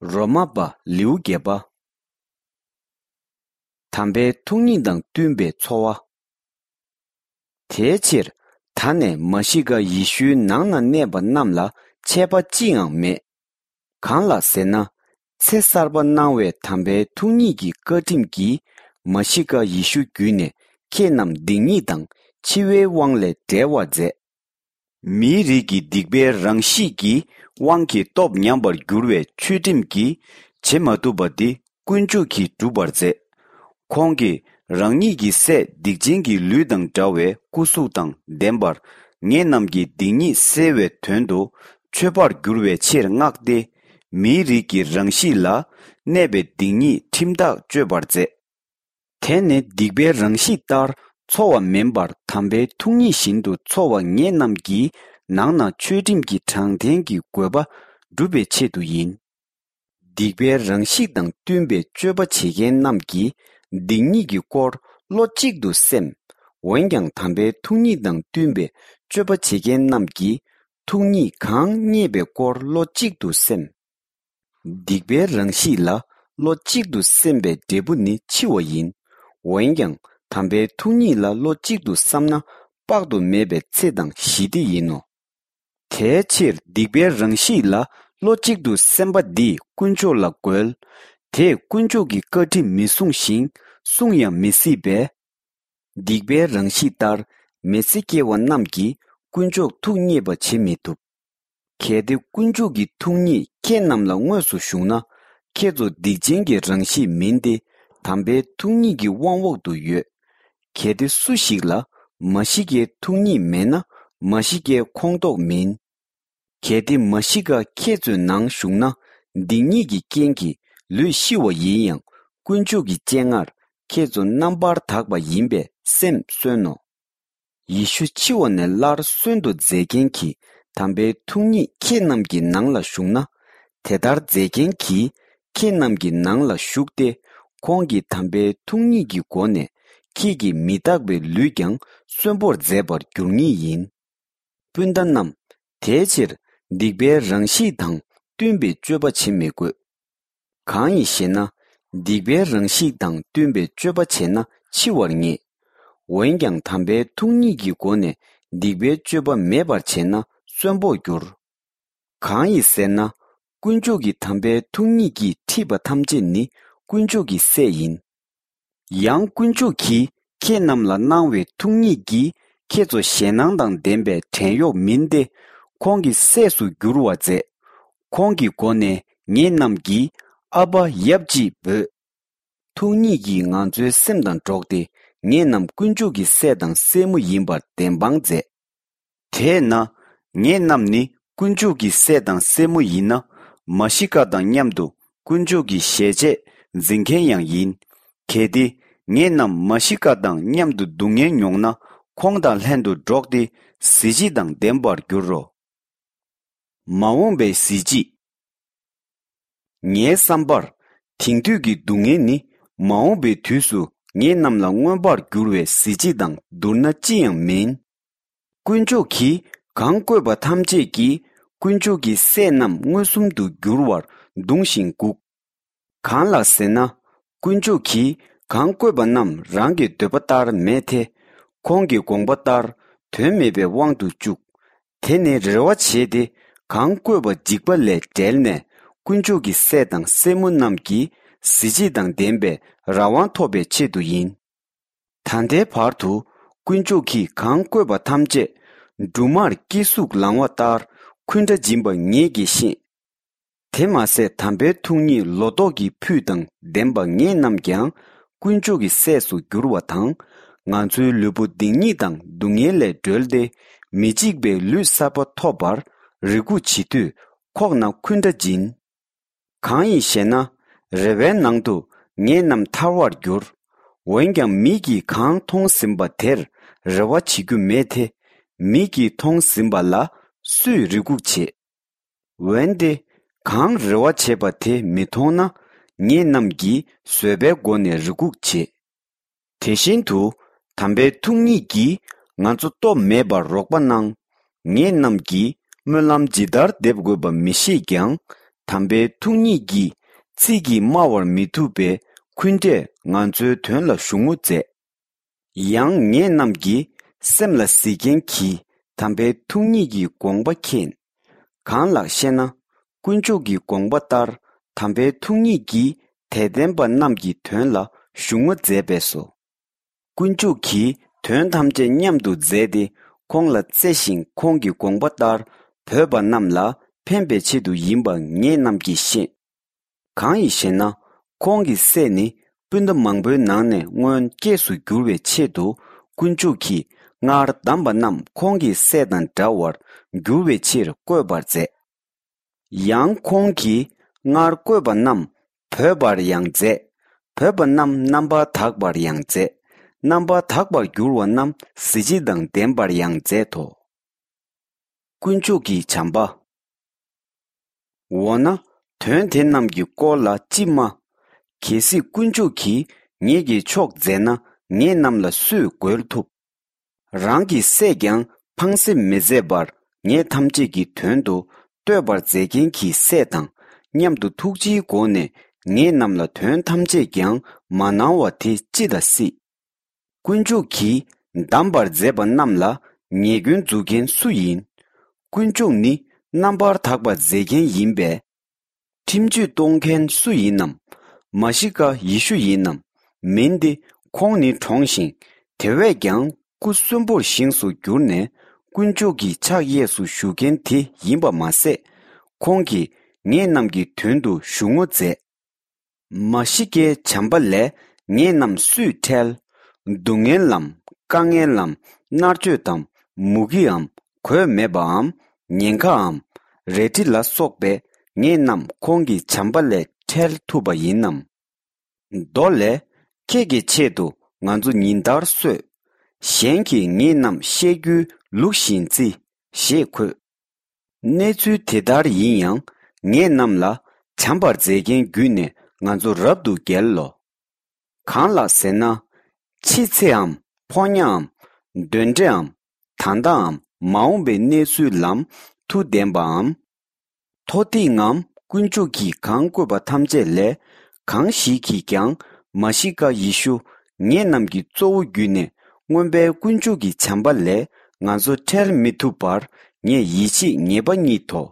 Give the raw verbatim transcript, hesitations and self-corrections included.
རོ་མ་པ་ལེའུ་བརྒྱད་པ། དམ་པའི་ཐུགས་ཉིད་དང་བསྟུན་པའི་འཚོ་བ། དེའི་ཕྱིར་ད་ནས་མ་ཤི་ཀ་ཡེ་ཤུའི་ནང་ན་གནས་པ་རྣམས་ལ་ཆད་པ་ཅི་ཡང་མེད། གང་ལགས་ཟེར་ན། ཚེ་གསར་པ་གནང་བའི་དམ་པའི་ཐུགས་ཉིད་ཀྱི་བཀའ་ཁྲིམས་ཀྱིས་མ་ཤི་ཀ་ཡེ་ཤུ་བརྒྱུད་ནས་ཁྱེད་རྣམས་སྡིག་ཉེས་དང་འཆི་བའི་དབང་ལས་བསྒྲལ་བར་མཛད། མིའི་རིགས་ཀྱི་སྡིག་པའི་རང་གཤིས་ཀྱི་དབང་གིས་སྟོབས་ཉམས་པར་འགྱུར་བའི་ཆོས་ཁྲིམས་ཀྱིས་བྱེད་མ་ཐུབ་པ་འདི་དཀོན་མཆོག་གིས་བསྒྲུབ་པར་མཛད། ཁོང་གིས་རང་ཉིད་ཀྱི་སྲས་སྡིག་ཅན་གྱི་ལུས་དང་འདྲ་བའི་སྐུ་གཟུགས་དང་ལྡན་པར་ངེད་རྣམས་ཀྱི་སྡིག་ཉེས་སེལ་བའི་དོན་དུ་མཆོད་པར་འགྱུར་བའི་ཕྱིར་མངགས་ཏེ། མིའི་རིགས་ཀྱི་རང་གཤིས་ལ་གནས་པའི་སྡིག་ཉེས་ཁྲིམས་ཐག་གཅོད་པར་མཛད། དེ་ནི་སྡིག་པའི་རང་གཤིས་ལྟར་འཚོ་བ་མིན་པར་དམ་པའི་ཐུགས་ཉིད་བཞིན་དུ་འཚོ་བ་ངེད་རྣམས་ཀྱི་ནང་ན་ཆོས་ཁྲིམས་ཀྱི་དྲང་བདེན་གྱི་དགོས་པ་སྒྲུབ་པའི་ཆེད་དུ་ཡིན། སྡིག་པའི་རང་གཤིས་དང་བསྟུན་པའི་སྤྱོད་པ་བྱེད་མཁན་རྣམས་ཀྱིས་སྡིག་ཉེས་ཀྱི་སྐོར་བློ་གཅིག་ཏུ་སེམས། འོན་ཀྱང་དམ་པའི་ཐུགས་ཉིད་དང་བསྟུན་པའི་སྤྱོད་པ་བྱེད་མཁན་རྣམས་ཀྱིས་ཐུགས་ཉིད་གང་བརྙེས་པའི་སྐོར་བློ་གཅིག་ཏུ་སེམས། སྡིག་པའི་རང་གཤིས་ལ་བློ་གཅིག་ཏུ་སེམས་པའི་འབྲས་བུ་ནི་འཆི་བ་ཡིན། འོན་ཀྱང་དམ་པའི་ཐུགས་ཉིད་ལ་བློ་གཅིག་ཏུ་བསམས་ན་དཔག་ཏུ་མེད་པའི་ཚེ་དང་ཞི་བདེ་ཡིན་ནོ། དེའི་ཕྱིར་སྡིག་པའི་རང་གཤིས་ལ་བློ་གཅིག་ཏུ་སེམས་པ་འདིས་དཀོན་མཆོག་ལ་རྒོལ། དེས་དཀོན་མཆོག་གི་བཀའ་ཁྲིམས་མི་སྲུང་ཞིང་སྲུང་ཡང་མི་སྲིད་པས། སྡིག་པའི་རང་གཤིས་ལྟར་མི་ཚེ་སྐྱེལ་བ་རྣམས་ཀྱིས་དཀོན་མཆོག་ཐུགས་མཉེས་པ་བྱེད་མི་ཐུབ། གལ་ཏེ་དཀོན་མཆོག་གི་ཐུགས་ཉིད་ཁྱེད་རྣམས་ལ་དངོས་སུ་ཞུགས་ན། ཁྱེད་ཚོ་སྡིག་ཅན་གྱི་རང་གཤིས་མིན་ཏེ། དམ་པའི་ཐུགས་ཉིད་ཀྱི་དབང་འོག་ཏུ་ཡོད། གལ་ཏེ་སུ་ཞིག་ལ་མ་ཤི་ཀའི་ཐུགས་ཉིད་མེད་ན། མ་ཤི་ཀའི་ཁོངས་གཏོགས་མིན། གལ་ཏེ་མ་ཤི་ཀ་ཁྱེད་ཚོའི་ནང་ཞུགས་ན། སྡིག་ཉེས་ཀྱི་རྐྱེན་གྱིས་ལུས་ཤི་བ་ཡིན་ཡང་། དཀོན་མཆོག་གི་སྤྱན་སྔར་ཁྱེད་ཚོ་རྣམ་པར་དག་པ་ཡིན་པས་སེམས་གསོན་ནོ། ཡེ་ཤུ་འཆི་བ་ནས་སླར་གསོན་དུ་མཛད་མཁན་གྱི་དམ་པའི་ཐུགས་ཉིད་ཁྱེད་རྣམས་ཀྱི་ནང་ལ་ཞུགས་ན། དེ་ལྟར་མཛད་མཁན་གྱིས་ཁྱེད་རྣམས་ཀྱི་ནང་ལ་ཞུགས་ཏེ། ཁོང་གི་དམ་པའི་ཐུགས་ཉིད་ཀྱི་སྒོ་ནས་ཁྱེད་ཀྱི་མི་རྟག་པའི་ལུས་ཀྱང་གསོན་པོར་མཛད་པར་འགྱུར་ངེས་ཡིན། སྤུན་ཟླ་རྣམས། དེའི་ཕྱིར་སྡིག་པའི་རང་གཤིས་དང་བསྟུན་པའི་སྤྱོད་པ་བྱེད་མི་དགོས། གང་ཡིན་ཞེ་ན། སྡིག་པའི་རང་གཤིས་དང་བསྟུན་པའི་སྤྱོད་པ་བྱས་ན་འཆི་བར་ངེས། འོན་ཀྱང་དམ་པའི་ཐུགས་ཉིད་ཀྱི་སྒོ་ནས་སྡིག་པའི་སྤྱོད་པ་མེད་པར་བྱས་ན་གསོན་པོར་འགྱུར། གང་ཡིན་ཟེར་ན། དཀོན་མཆོག་གི་དམ་པའི་ཐུགས་ཉིད་ཀྱིས་ཁྲིད་པ་ཐམས་ཅད་ནི་དཀོན་མཆོག་གི་སྲས་ཡིན། ཡང་དཀོན་མཆོག་གིས་ཁྱེད་རྣམས་ལ་གནང་བའི་ཐུགས་ཉིད་ཀྱིས་ཁྱེད་ཚོ་ཞེད་སྣང་དང་ལྡན་པའི་བྲན་གཡོག་མིན་ཏེ། ཁོང་གི་སྲས་སུ་འགྱུར་བར་མཛད། ཁོང་གི་སྒོ་ནས་ངེད་རྣམས་ཀྱིས་ཨ་ཕ་ཡབ་ཅེས་འབོད། ཐུགས་ཉིད་ཀྱིས་ང་ཚོའི་སེམས་དང་འགྲོགས་ཏེ་ངེད་རྣམས་དཀོན་མཆོག་གི་སྲས་དང་སྲས་མོ་ཡིན་པར་བདེན་དཔང་མཛད། དེས་ན། ངེད་རྣམས་ནི་དཀོན་མཆོག་གི་སྲས་དང་སྲས་མོ་ཡིན་ན། མ་ཤི་ཀ་དང་མཉམ་དུ་དཀོན་མཆོག་གི་ཞལ་ཆད་འཛིན་མཁན་ཡང་ཡིན། གལ་ཏེ་ངེད་རྣམས་མ་ཤི་ཀ་དང་མཉམ་དུ་སྡུག་བསྔལ་མྱོང་ན། ཁོང་དང་ལྷན་དུ་འགྲོགས་ཏེ་གཟི་བརྗིད་དང་ལྡན་པར་འགྱུར་རོ། མ་འོངས་པའི་གཟི་བརྗིད། ངའི་བསམ་པར། དེང་དུས་ཀྱི་སྡུག་བསྔལ་ནི་མ་འོངས་པའི་དུས་སུ་ངེད་རྣམས་ལ་མངོན་པར་འགྱུར་བའི་གཟི་བརྗིད་དང་བསྡུར་ན་ཅི་ཡང་མིན། དཀོན་མཆོག་གིས་གང་བཀོད་པ་ཐམས་ཅད་ཀྱིས་དཀོན་མཆོག་གི་སྲས་རྣམས་མངོན་སུམ་དུ་འགྱུར་བར་གདུང་ཞིང་འགུགས། གང་ལགས་ཟེར་ན། དཀོན་མཆོག་གིས་གང་བཀོད་པ་རྣམས་རང་གི་འདོད་པ་ལྟར་མེད་དེ། ཁོང་གི་དགོངས་པ་ལྟར་དོན་མེད་པའི་དབང་དུ་བཅུག། དེ་ནི་རེ་བ་བྱས་ཏེ་གང་བཀོད་པ་འཇིག་པ་ལས་བསྒྲལ་ནས་དཀོན་མཆོག་གི་སྲས་དང་སྲས་མོ་རྣམས་ཀྱི་གཟི་བརྗིད་དང་ལྡན་པའི་རང་དབང་ཐོབ་པའི་ཆེད་དུ་ཡིན། ད་ལྟའི་བར་དུ་དཀོན་མཆོག་གིས་གང་བཀོད་པ་ཐམས་ཅད་སྦྲུམ་མར་སྐྱེ་གཟུགས་ལང་བ་ལྟར་འཁུན་སྒྲ་འབྱིན་པ་ངེད་ཀྱིས་ཤེས། དེ་མ་ཟད་དམ་པའི་ཐུགས་ཉིད་ལོ་ཏོག་གི་ཕུད་དང་ལྡན་པ་ངེད་རྣམས་ཀྱང་དཀོན་མཆོག་གི་སྲས་སུ་འགྱུར་བ་དང་། ང་ཚོའི་ལུས་པོ་སྡིག་ཉེས་དང་སྡུག་བསྔལ་ལས་སྒྲོལ་ཏེ་མི་འཇིག་པའི་ལུས་གསར་པ་ཐོབ་པར་རེ་སྒུག་བྱེད་དུས་ཁོག་ན་འཁུན་སྒྲ་འབྱིན། གང་ཡིན་ཞེ་ན། རེ་བའི་ནང་དུ་ངེད་རྣམས་ཐར་བར་འགྱུར། འོན་ཀྱང་མིག་གིས་གང་མཐོང་ཟིན་པ་དེར་རེ་བ་བྱེད་རྒྱུ་མེད་དེ། མིག་གིས་མཐོང་ཟིན་པ་ལ་སུས་རེ་སྒུག་བྱེད། འོན་ཏེ། གང་རེ་བ་བྱེད་པ་དེ་མི་མཐོང་ན། ངེད་རྣམས་ཀྱིས་བཟོད་པའི་སྒོ་ནས་རེ་སྒུག་བྱེད། དེ་བཞིན་དུ། དམ་པའི་ཐུགས་ཉིད་ཀྱིས་ང་ཚོ་སྟོབས་མེད་པར་རོགས་པ་གནང་། ངེད་རྣམས་ཀྱིས་སྨོན་ལམ་ཇི་ལྟར་འདེབས་དགོས་པ་མི་ཤེས་ཀྱང་། དམ་པའི་ཐུགས་ཉིད་ཀྱིས་ཚིག་གིས་སྨྲ་བར་མི་ཐུབ་པའི་འཁོན་འགྲས་ང་ཚོའི་དོན་ལ་ཞུགས་ངོ་མཛད། ཡང་ངེད་རྣམས་ཀྱི་སེམས་ལ་གཟིགས་མཁན་གྱིས་དམ་པའི་ཐུགས་ཉིད་ཀྱི་དགོངས་པ་མཁྱེན། གང་ལགས་ཤེ་ན། དཀོན་མཆོག་གི་དགོངས་པ་ལྟར་དམ་པའི་ཐུགས་ཉིད་ཀྱིས་དད་ལྡན་པ་རྣམས་ཀྱི་དོན་ལ་ཞུགས་ངོ་མཛད་པས་སོ། དཀོན་མཆོག་གིས་དོན་ཐམས་ཅད་མཉམ་དུ་མཛད་དེ་ཁོང་ལ་བརྩེ་ཞིང་ཁོང་གི་དགོངས་པ་ལྟར་བོས་པ་རྣམས་ལ་ཕན་པའི་ཆེད་དུ་ཡིན་པ་ངེད་རྣམས་ཀྱིས་ཤེས། གང་ཡིན་ཞེ་ན། ཁོང་གི་སྲས་ནི་སྤུན་ཟླ་མང་པོའི་ནང་ནས་སྔོན་སྐྱེས་སུ་འགྱུར་བའི་ཆེད་དུ་དཀོན་མཆོག་གིས་སྔར་བདམས་པ་རྣམས་ཁོང་གི་སྲས་དང་འདྲ་བར་འགྱུར་བའི་ཕྱིར་བསྐོས་པར་མཛད། ཡང་ཁོང་གིས་སྔར་བསྐོས་པ་རྣམས་བོས་པར་ཡང་མཛད། བོས་པ་རྣམས་རྣམ་པར་དག་པར་ཡང་མཛད། རྣམ་པར་དག་པར་འགྱུར་བ་རྣམས་གཟི་བརྗིད་དང་ལྡན་པར་ཡང་མཛད་དོ། དཀོན་མཆོག་གི་བྱམས་པ། འོ་ན། དོན་དེ་རྣམས་ཀྱི་སྐོར་ལ་ཅི་སྨྲ། གལ་སྲིད་དཀོན་མཆོག་གིས་ངེད་ཀྱི་ཕྱོགས་མཛད་ན་ངེད་རྣམས་ལ་སུས་རྒོལ་ཐུབ། རང་གི་སྲས་ཀྱང་ཕངས་སེམས་མི་མཛད་པར་ངེད་ཐམས་ཅད་ཀྱི་དོན་དུ་བསྟོད་པར་མཛད་མཁན་གྱི་སྲས་དང་མཉམ་དུ་ཐུགས་རྗེའི་སྒོ་ནས་ངེད་རྣམས་ལ་དོན་ཐམས་ཅད་ཀྱང་མ་གནང་བ་དེ་ཅི་ལ་སྲིད། དཀོན་མཆོག་གིས་བདམས་པར་མཛད་པ་རྣམས་ལ་ཉེས་སྐྱོན་འཛུགས་མཁན་སུ་ཡིན། དཀོན་མཆོག་ནི་རྣམ་པར་དག་པ་མཛད་མཁན་ཡིན་པས། ཁྲིམས་གཅོད་གཏོང་མཁན་སུ་ཡིན་ནམ། མ་ཤི་ཀ་ཡེ་ཤུ་ཡིན་ནམ། མིན་ཏེ། ཁོང་ནི་གྲོངས་ཤིང་དེ་བས་ཀྱང་སྐུ་གསོན་པོར་བཞེངས་སུ་གྱུར་ནས་དཀོན་མཆོག་གི་ཕྱག་གཡས་སུ་བཞུགས་མཁན་དེ་ཡིན་པ་མ་ཟད། ཁོང་གིས་ངེད་རྣམས་ཀྱི་དོན་དུ་ཞུགས་ངོ་མཛད། མ་ཤི་ཀའི་བྱམས་པ་ལས་ངེད་རྣམས་སུས་ཁྲལ། སྡུག་བསྔལ་ལམ། དཀའ་ངལ་ལམ། མནར་གཅོད་དམ། མུ་གེའམ། གོས་མེད་པའམ། ཉེན་ཁའམ། རལ་གྲི་ལ་སོགས་པས་ངེད་རྣམས་ཁོང་གི་བྱམས་པ་ལས་ཁྲལ་ཐུབ་པ་ཡིན་ནམ། མདོ་ལས། ཁྱེད་ཀྱི་ཆེད་དུ་ང་ཚོ་ཉིན་ལྟར་གསོད། གཞན་གྱིས་ངེད་རྣམས་བཤད་རྒྱུའི་ལུགས་བཞིན་བརྩི། ཞེས་འཁོད། གནས་ཚུལ་དེ་ལྟར་ཡིན་ཡང་ངེད་རྣམས་ལ་བྱམས་པར་མཛད་མཁན་བརྒྱུད་ནས་ང་ཚོ་རབ་ཏུ་རྒྱལ་ལོ། གང་ལགས་ཟེར་ན། འཆི་ཚེའམ་ཕོ་ཉའམ། གདོན་འདྲེའམ། ད་ལྟའམ་མ་འོངས་པའི་གནས་ཚུལ་ལམ་མཐུ་ལྡན་པའམ། མཐོ་ཐིག་ངམ་དཀོན་མཆོག་གིས་གང་བཀོད་པ་ཐམས་ཅད་ལས་གང་ཞིག་གིས་ཀྱང་མ་ཤི་ཀ་ཡེ་ཤུ་ངེད་རྣམས་ཀྱི་གཙོ་བོ་བརྒྱུད་ནས་མངོན་པའི་དཀོན་མཆོག་གི་བྱམས་པ་ལས་ང་ཚོ་ཁྲལ་མི་ཐུབ་པར་ངས་ཡིད་ཆེས་ངེས་པ་རྙེད་དོ།